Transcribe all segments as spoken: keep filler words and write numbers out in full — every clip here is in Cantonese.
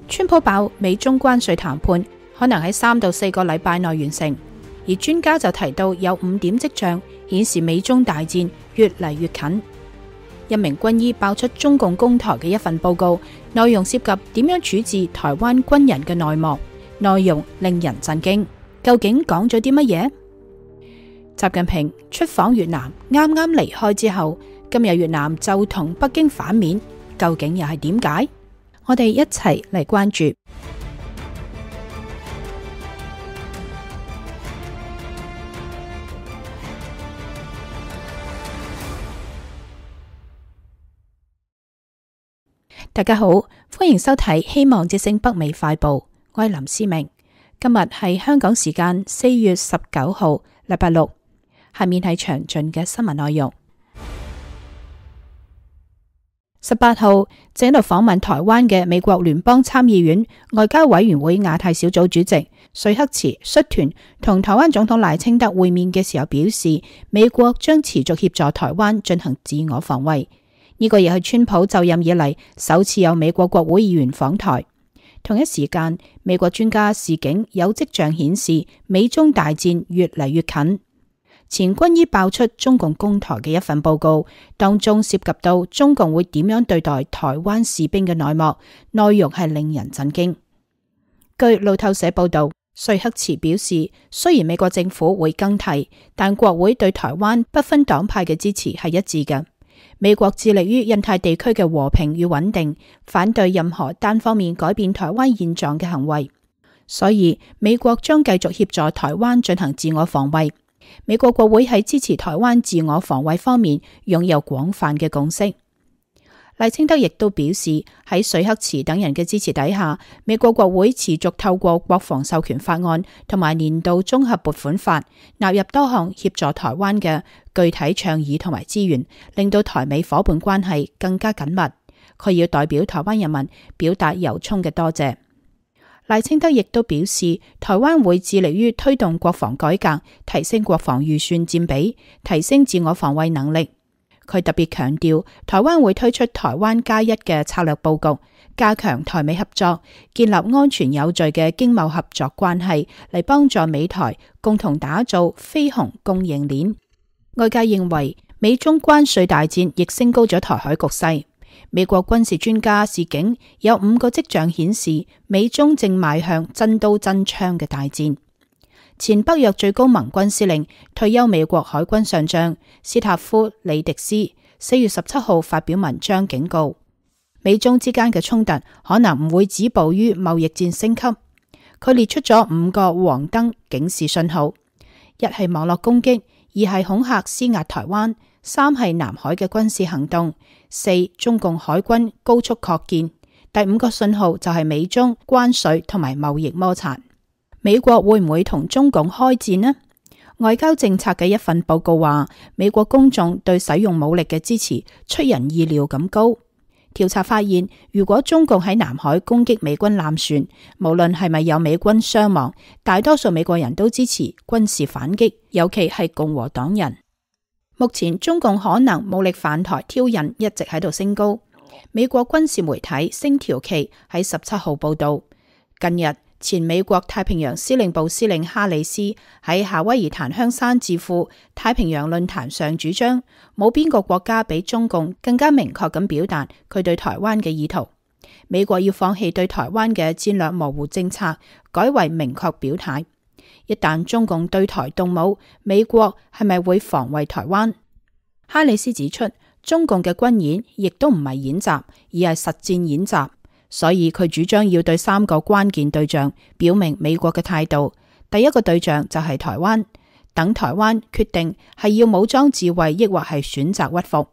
川普爆美中關稅談判可能喺三到四個禮拜內完成，而專家就提到有五點跡象顯示美中大戰越嚟越近。一名軍醫爆出中共攻台嘅一份報告，內容涉及點樣處置台灣軍人嘅內幕，內容令人震驚。究竟講咗啲乜嘢？習近平出訪越南，啱啱離開之後，今日越南就同北京反面，究竟又係點解？我哋一齊嚟關注。大家好，歡迎收睇希望之聲北美快報，我係林思明。今日係香港時間四月十九號，禮拜六。下面係詳盡嘅新聞內容。十八號正喺度訪問台灣嘅美國聯邦參議院外交委員會亞太小組主席瑞克茨率團同台灣總統賴清德會面嘅時候表示，美國將持續協助台灣進行自我防衛。呢個亦係川普就任以嚟首次有美國國會議員訪台。同一時間，美國專家示警有跡象顯示美中大戰越嚟越近。前軍醫爆出中共攻台嘅一份報告，當中涉及到中共會點樣對待台灣士兵嘅內幕，內容係令人震驚。據路透社報道，瑞克茨表示，雖然美國政府會更替，但國會對台灣不分黨派嘅支持係一致嘅。美國致力於印太地區嘅和平與穩定，反對任何單方面改變台灣現狀嘅行為，所以美國將繼續協助台灣進行自我防衛。美國國會喺支持台灣自我防衛方面擁有廣泛嘅共識。賴清德亦都表示，喺瑞克茨等人嘅支持底下，美國國會持續透過國防授權法案同埋年度綜合撥款法納入多項協助台灣嘅具體倡議同埋資源，令到台美夥伴關係更加緊密。佢要代表台灣人民表達由衷嘅多謝。賴清德亦都表示，台灣會致力於推動國防改革，提升國防預算佔比，提升自我防衛能力。佢特別強調，台灣會推出台灣加一嘅策略佈局，加強台美合作，建立安全有序嘅經貿合作關係，嚟幫助美台共同打造飛鴻供應鏈。外界認為，美中關稅大戰亦升高咗台海局勢。美國軍事專家示警，有五個跡象顯示美中正邁向真刀真槍嘅大戰。前北約最高盟軍司令、退休美國海軍上將斯塔夫里迪斯四月十七號發表文章警告，美中之間嘅衝突可能唔會止步於貿易戰升級。佢列出咗五個黃燈警示信號：一係網絡攻擊，二係恐嚇施壓台灣，三係南海嘅軍事行動，四中共海軍高速擴建，第五個信號就係美中關稅同埋貿易摩擦。美國會唔會同中共開戰呢？外交政策嘅一份報告話，美國公眾對使用武力嘅支持出人意料咁高。調查發現，如果中共喺南海攻擊美軍艦船，無論係咪有美軍傷亡，大多數美國人都支持軍事反擊，尤其係共和黨人。目前中共可能武力犯台挑釁一直喺度升高。美國軍事媒體星條旗喺十七號報道，近日前美國太平洋司令部司令哈里斯喺夏威夷檀香山智庫太平洋論壇上主張，冇邊個國家比中共更加明確咁表達佢對台灣嘅意圖。美國要放棄對台灣嘅戰略模糊政策，改為明確表態。一旦中共對台動武，美國係咪會防衛台灣？哈里斯指出，中共嘅軍演亦都唔係演習，而係實戰演習。所以佢主張要對三個關鍵對象表明美國嘅態度。第一個對象就係台灣，等台灣決定係要武裝自衛，抑或係選擇屈服。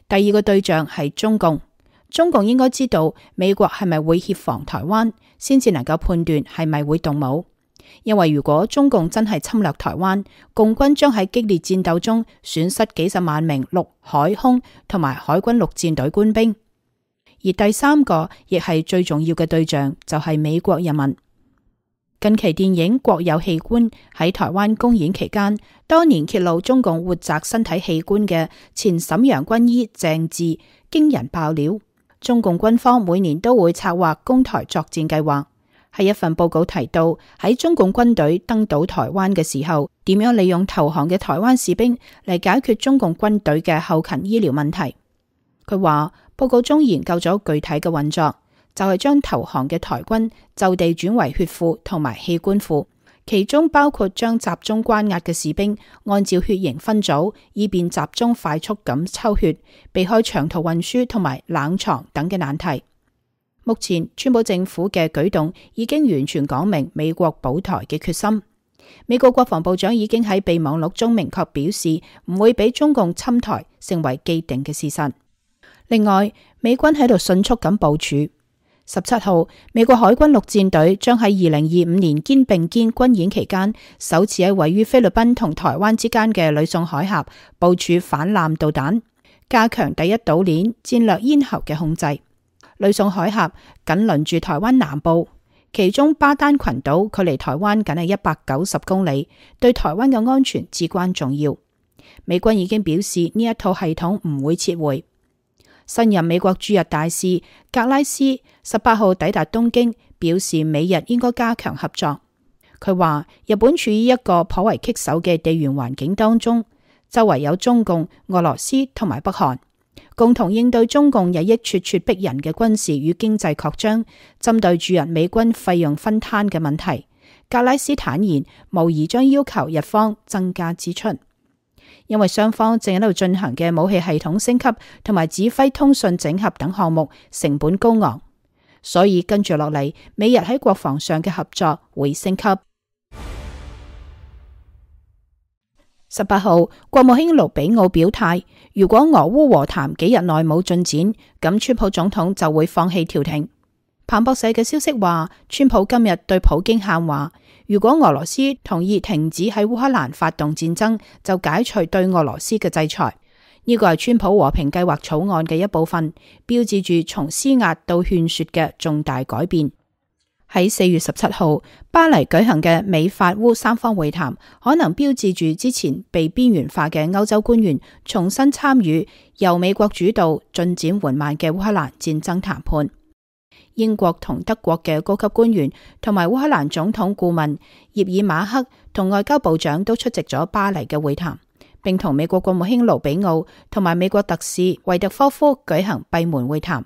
第二個對象係中共，中共應該知道美國係咪會協防台灣，先至能夠判斷係咪會動武。因為如果中共真係侵略台灣，共軍將喺激烈戰鬥中損失幾十萬名陸海空同埋海軍陸戰隊官兵。而第三個亦係最重要嘅對象就係美國人民。近期電影《國有器官》喺台灣公演期間，當年揭露中共活摘身體器官嘅前瀋陽軍醫鄭智驚人爆料，中共軍方每年都會策劃攻台作戰計劃。喺一份報告提到，喺中共軍隊登島台灣嘅時候，點樣利用投降嘅台灣士兵嚟解決中共軍隊嘅後勤醫療問題。佢話報告中研究咗具體嘅運作，就係將投降嘅台軍就地轉為血庫同埋器官庫，其中包括將集中關押嘅士兵按照血型分組，以便集中快速咁抽血，避開長途運輸同埋冷藏等嘅難題。目前川普政府嘅舉動已經完全講明美國保台嘅決心。美國國防部長已經喺備忘錄中明確表示，唔會俾中共侵台成為既定嘅事實。另外，美軍喺度迅速咁部署。十七號，美國海軍陸戰隊將喺二零二五年肩並肩軍演期間，首次喺位於菲律賓同台灣之間嘅呂宋海峽部署反艦導彈，加強第一島鏈戰略咽喉嘅控制。呂宋海峽緊鄰住台灣南部，其中巴丹群島距離台灣僅係一百九十公里，對台灣嘅安全至關重要。美軍已經表示呢一套系統唔會撤回。新任美國駐日大使格拉斯十八號抵達東京，表示美日應該加強合作。佢話日本處於一個頗為棘手嘅地緣環境當中，周圍有中共、俄羅斯同埋北韓。共同應對中共日益咄咄逼人嘅軍事與經濟擴張，針對駐日美軍費用分攤嘅問題，格拉斯坦言，無疑將要求日方增加支出，因為雙方正喺度進行嘅武器系統升級同埋指揮通訊整合等項目成本高昂，所以跟住落嚟，美日喺國防上嘅合作會升級。十八號，國務卿盧比奧表態，如果俄烏和談幾日內冇進展，咁川普總統就會放棄調停。彭博社嘅消息話，川普今日對普京喊話，如果俄羅斯同意停止喺烏克蘭發動戰爭，就解除對俄羅斯嘅制裁。呢個係川普和平計劃草案嘅一部分，標誌住從施壓到勸說嘅重大改變。喺四月十七號巴黎舉行嘅美法烏三方會談，可能標誌住之前被邊緣化嘅歐洲官員重新參與由美國主導、進展緩慢嘅烏克蘭戰爭談判。英國同德國嘅高級官員同埋烏克蘭總統顧問葉爾馬克同外交部長都出席咗巴黎嘅會談，並同美國國務卿盧比奧同埋美國特使維特科夫舉行閉門會談。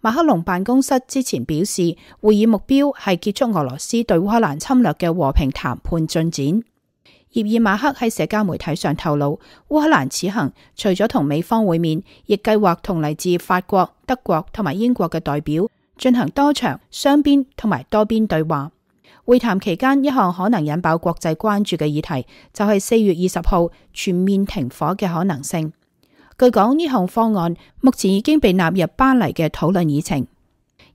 馬克龍辦公室之前表示，會議目標係結束俄羅斯對烏克蘭侵略嘅和平談判進展。葉爾馬克喺社交媒體上透露，烏克蘭此行除咗同美方會面，亦計劃同嚟自法國、德國同埋英國嘅代表進行多場雙邊同埋多邊對話。會談期間，一項可能引爆國際關注嘅議題就係四月二十號全面停火嘅可能性。據講，呢項方案目前已經被納入巴黎嘅討論議程。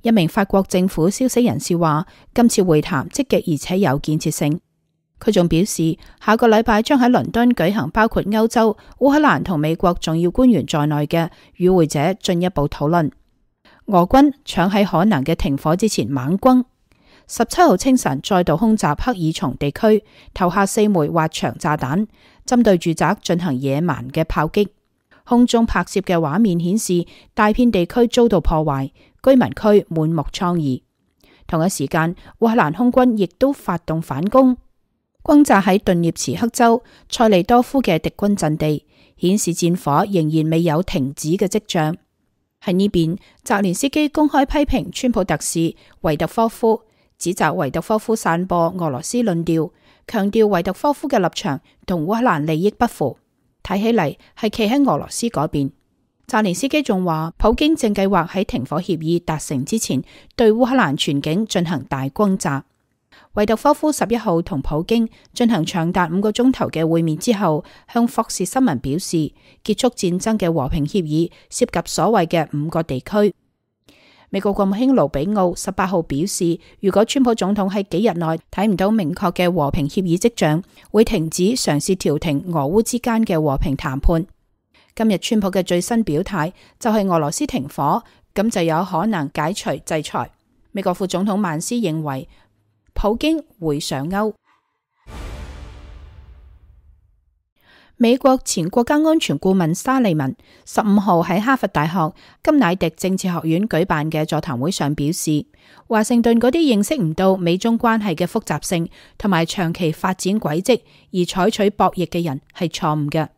一名法國政府消息人士話，今次會談積極而且有建設性。佢仲表示，下個禮拜將喺倫敦舉行包括歐洲、烏克蘭同美國重要官員在內嘅與會者進一步討論。俄軍搶喺可能嘅停火之前猛攻，十七號清晨再度空襲克爾松地區，投下四枚滑翔炸彈，針對住宅進行野蠻嘅炮擊。空中拍攝嘅畫面顯示，大片地區遭到破壞，居民區滿目瘡痍。同一時間，烏克蘭空軍亦都發動反攻，轟炸喺頓涅茨克州塞利多夫嘅敵軍陣地，顯示戰火仍然未有停止嘅跡象。喺呢邊，澤連斯基公開批評川普特使維特科夫，指責維特科夫散播俄羅斯論調，強調維特科夫嘅立場同烏克蘭利益不符。睇起嚟係企喺俄羅斯嗰邊。澤連斯基仲話，普京正計劃喺停火協議達成之前，對烏克蘭全境進行大轟炸。維特科夫十一號同普京進行長達五個鐘頭嘅會面之後，向霍士新聞表示，結束戰爭嘅和平協議涉及所謂嘅五個地區。美國國務卿盧比奧十八號表示，如果川普總統喺幾日內睇唔到明確嘅和平協議跡象，會停止嘗試調停俄烏之間嘅和平談判。今日川普嘅最新表態就係俄羅斯停火，咁就有可能解除制裁。美國副總統曼斯認為普京會上鈎。美國前國家安全顧問沙利文十五號喺哈佛大學金乃迪政治學院舉辦嘅座談會上表示，華盛頓嗰啲認識唔到美中關係嘅複雜性同埋長期發展軌跡而採取博弈嘅人係錯誤嘅。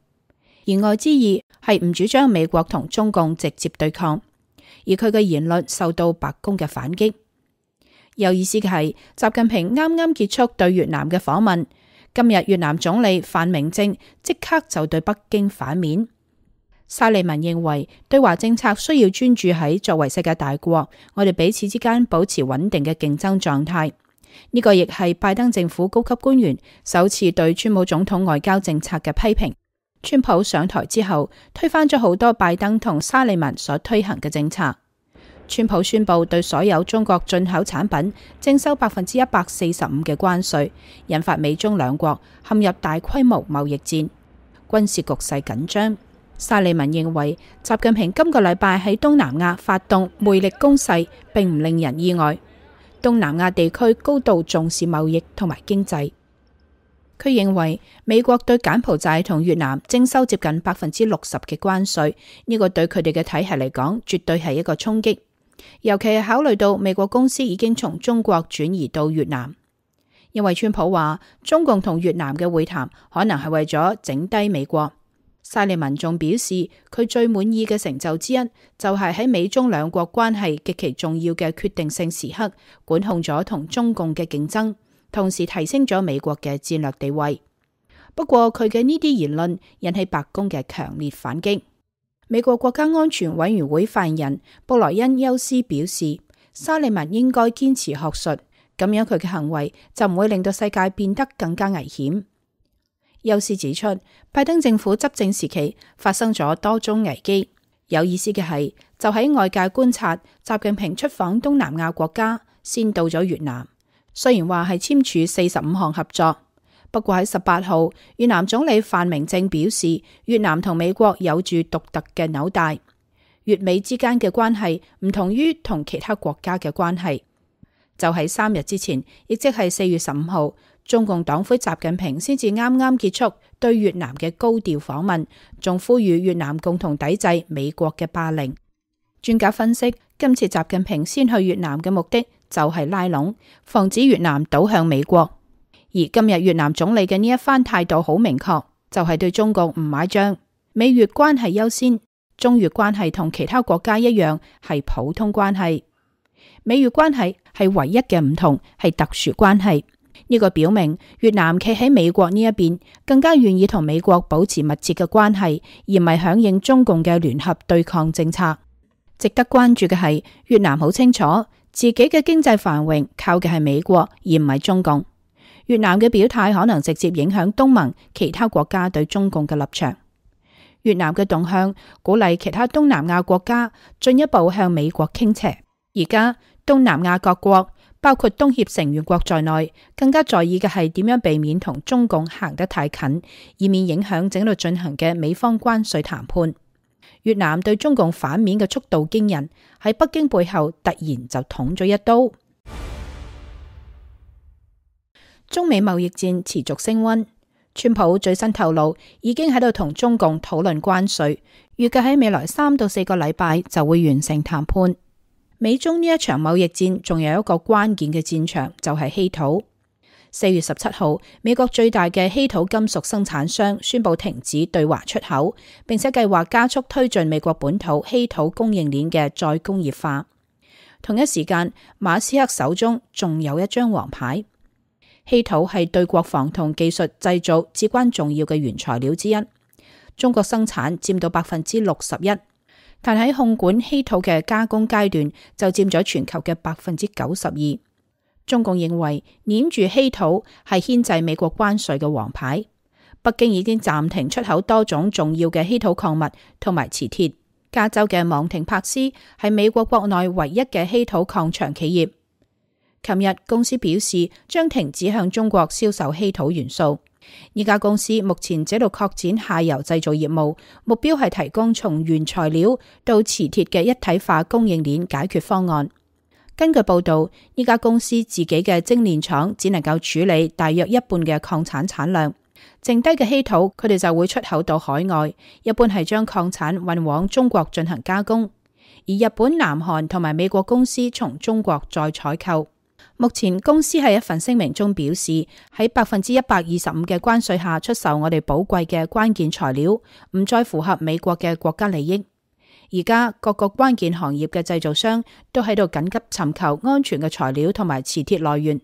言外之意係唔主張美國同中共直接對抗，而佢嘅言論受到白宮嘅反擊。有意思嘅係，習近平啱啱結束對越南嘅訪問，今日越南總理范明政即刻就對北京反面。沙利文認為，對華政策需要專注喺作為世界大國，我哋彼此之間保持穩定嘅競爭狀態。呢個亦係拜登政府高級官員首次對川普總統外交政策嘅批評。川普上台之後，推翻咗好多拜登同沙利文所推行嘅政策。川普宣布對所有中國進口產品徵收百分之一百四十五嘅關稅，引發美中兩國陷入大規模貿易戰，軍事局勢緊張。沙利文認為，習近平今個禮拜喺東南亞發動魅力攻勢，並唔令人意外。東南亞地區高度重視貿易同埋經濟。佢認為美國對柬埔寨同越南徵收接近百分之六十嘅關稅，呢個對佢哋嘅體系嚟講，絕對係一個衝擊。尤其係考慮到美國公司已經從中國轉移到越南，因為川普話中共同越南嘅會談可能係為咗整低美國。沙利文仲表示，佢最滿意嘅成就之一就係喺美中兩國關係極其重要嘅決定性時刻，管控咗同中共嘅競爭，同時提升咗美國嘅戰略地位。不過佢嘅呢啲言論引起白宮嘅強烈反擊。美國國家安全委員會發言人布萊恩休斯表示，沙利文應該堅持學術，咁樣佢嘅行為就唔會令到世界變得更加危險。休斯指出，拜登政府執政時期發生咗多宗危機。有意思嘅係，就喺外界觀察，習近平出訪東南亞國家，先到咗越南。雖然話係簽署四十五項合作。不過喺十八號，越南總理范明政表示，越南同美國有住獨特嘅紐帶，越美之間嘅關係唔同於同其他國家嘅關係。就喺三日之前，亦即係四月十五號，中共黨魁習近平先至啱啱結束對越南嘅高調訪問，仲呼籲越南共同抵制美國嘅霸凌。專家分析，今次習近平先去越南嘅目的就係拉攏，防止越南倒向美國。而今日越南總理嘅呢一番態度好明確，就係對中共唔買賬。美越關係優先，中越關係同其他國家一樣係普通關係。美越關係係唯一嘅唔同，係特殊關係。呢個表明越南企喺美國呢一邊，更加願意同美國保持密切嘅關係，而唔係響應中共嘅聯合對抗政策。值得關注嘅係，越南好清楚自己嘅經濟繁榮靠嘅係美國，而唔係中共。越南嘅表態可能直接影響東盟其他國家對中共嘅立場。越南嘅動向鼓勵其他東南亞國家進一步向美國傾斜。而家東南亞各國，包括東協成員國在內，更加在意嘅係點樣避免同中共行得太近，以免影響正喺度進行嘅美方關稅談判。越南對中共反面嘅速度驚人，喺北京背後突然就捅咗一刀。中美貿易戰持續升溫，川普最新透露已經喺度同中共討論關稅，預計喺未來三到四個禮拜就會完成談判。美中呢一場貿易戰仲有一個關鍵嘅戰場，就係稀土。四月十七號，美國最大嘅稀土金屬生產商宣布停止對華出口，並且計劃加速推進美國本土稀土供應鏈嘅再工業化。同一時間，馬斯克手中仲有一張王牌。稀土係對國防同技術製造至關重要嘅原材料之一，中國生產佔到百分之六十一，但喺控管稀土嘅加工階段就佔咗全球嘅百分之九十二。中共認為黏住稀土係牽制美國關稅嘅王牌，北京已經暫停出口多種重要嘅稀土礦物同埋磁鐵。加州嘅昂廷柏斯係美國國內唯一嘅稀土礦場企業。琴日公司表示將停止向中國銷售稀土元素。呢家公司目前正喺度擴展下游製造業務，目標係提供從原材料到磁鐵嘅一體化供應鏈解決方案。根據報道，呢家公司自己嘅精煉廠只能夠處理大約一半嘅礦產產量，剩低嘅稀土佢哋就會出口到海外，一般係將礦產運往中國進行加工，而日本、南韓同埋美國公司從中國再採購。目前公司喺一份聲明中表示，喺百分之一百二十五嘅關稅下出售我哋寶貴嘅關鍵材料，唔再符合美國嘅國家利益。而家各個關鍵行業嘅製造商都喺度緊急尋求安全嘅材料同埋磁鐵來源，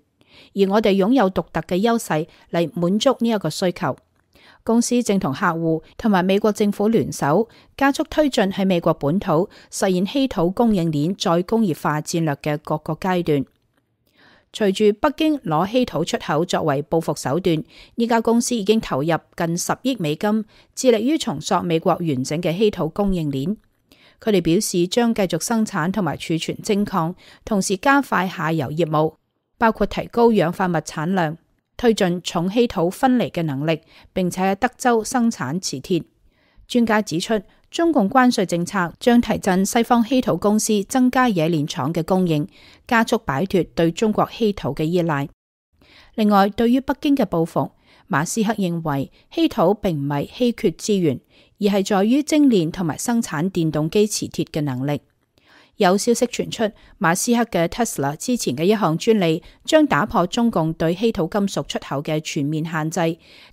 而我哋擁有獨特嘅優勢嚟滿足呢一個需求。公司正同客戶同埋美國政府聯手，加速推進喺美國本土實現稀土供應鏈再工業化戰略嘅各個階段。隨住北京攞稀土出口作為報復手段，呢家公司已經投入近十億美金，致力於重塑美國完整嘅稀土供應鏈。佢哋表示將繼續生產同埋儲存精礦，同時加快下游業務，包括提高氧化物產量，推進重稀土分離嘅能力，並且喺德州生產磁鐵。專家指出，中共關稅政策將提振西方稀土公司增加冶煉廠嘅供應，加速擺脫對中國稀土嘅依賴。另外，對於北京嘅報復，馬斯克認為稀土並唔係稀缺資源，而係在於精煉同埋生產電動機磁鐵嘅能力。有消息傳出，馬斯克嘅 Tesla 之前嘅一項專利將打破中共對稀土金屬出口嘅全面限制，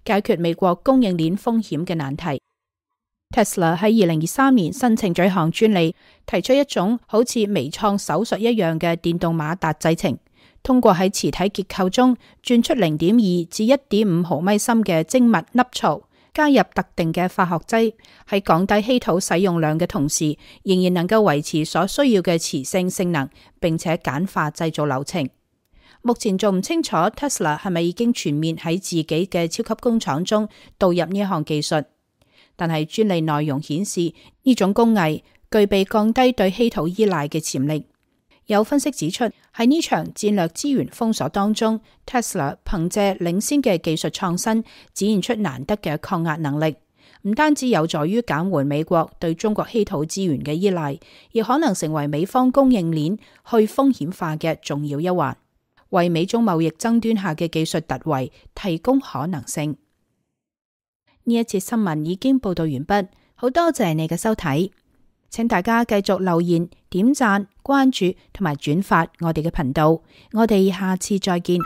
解決美國供應鏈風險嘅難題。Tesla 喺二零二三年申請咗一項專利，提出一種好似微創手術一樣嘅電動馬達製程，通過喺磁體結構中鑽出零點二至一點五毫米深嘅精密凹槽，加入特定嘅化學劑，喺降低稀土使用量嘅同時，仍然能夠維持所需要嘅磁性性能，並且簡化製造流程。目前仲唔清楚 Tesla 係咪已經全面喺自己嘅超級工廠中導入呢一項技術。但係專利內容顯示，呢種工藝具備降低對稀土依賴嘅潛力。有分析指出，喺呢場戰略資源封鎖當中， Tesla 憑借領先嘅技術創新，展現出難得嘅抗壓能力，唔單止有助於減緩美國對中國稀土資源嘅依賴，亦可能成為美方供應鏈去風險化嘅重要一環，為美中貿易爭端下嘅技術突圍提供可能性。呢一節新聞已經報道完畢，好多謝你嘅收睇，請大家繼續留言、點讚、關注同埋轉發我哋嘅頻道，我哋下次再見。